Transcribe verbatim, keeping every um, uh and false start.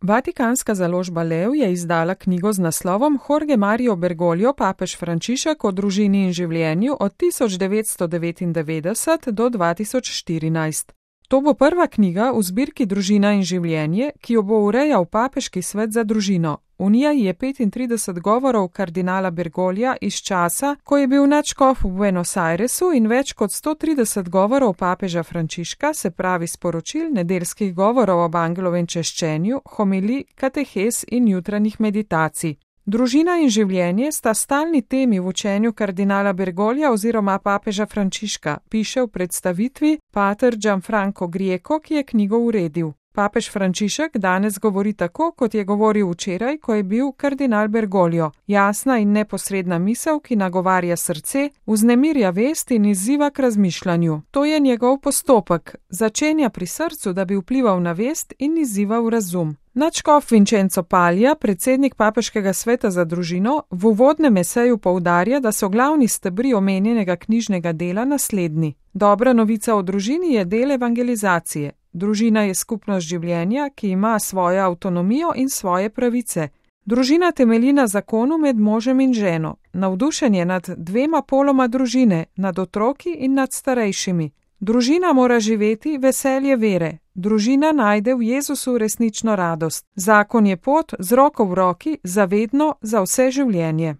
Vatikanska založba Lev je izdala knjigo z naslovom Jorge Mario Bergoglio, papež Frančišek o družini in življenju od tisoč devetsto devetindevetdeset do dva tisoč štirinajst. To bo prva knjiga v zbirki Družina in življenje, ki jo bo urejal Papeški svet za družino. V njej je petintrideset govorov kardinala Bergoglija iz časa, ko je bil nadškof v Buenos Airesu, in več kot sto trideset govorov papeža Frančiška, se pravi sporočil, nedeljskih govorov ob angelovem češčenju, homilij, katehes in jutranjih meditacij. Družina in življenje sta stalni temi v učenju kardinala Bergoglija oziroma papeža Frančiška, piše v predstavitvi pater Gianfranco Grieco, ki je knjigo uredil. Papež Frančišek danes govori tako, kot je govoril včeraj, ko je bil kardinal Bergoglio. Jasna in neposredna misel, ki nagovarja srce, vznemirja vest in izziva k razmišljanju. To je njegov postopek. Začenja pri srcu, da bi vplival na vest in izzival razum. Nadškof Vincenzo Paglia, predsednik Papeškega sveta za družino, v uvodnem eseju poudarja, da so glavni stebri omenjenega knjižnega dela naslednji. Dobra novica o družini je del evangelizacije. Družina je skupnost življenja, ki ima svojo avtonomijo in svoje pravice. Družina temelji na zakonu med možem in ženo, navdušenje nad dvema poloma družine, nad otroki in nad starejšimi. Družina mora živeti veselje vere. Družina najde v Jezusu resnično radost. Zakon je pot z roko v roki, za vedno, za vse življenje.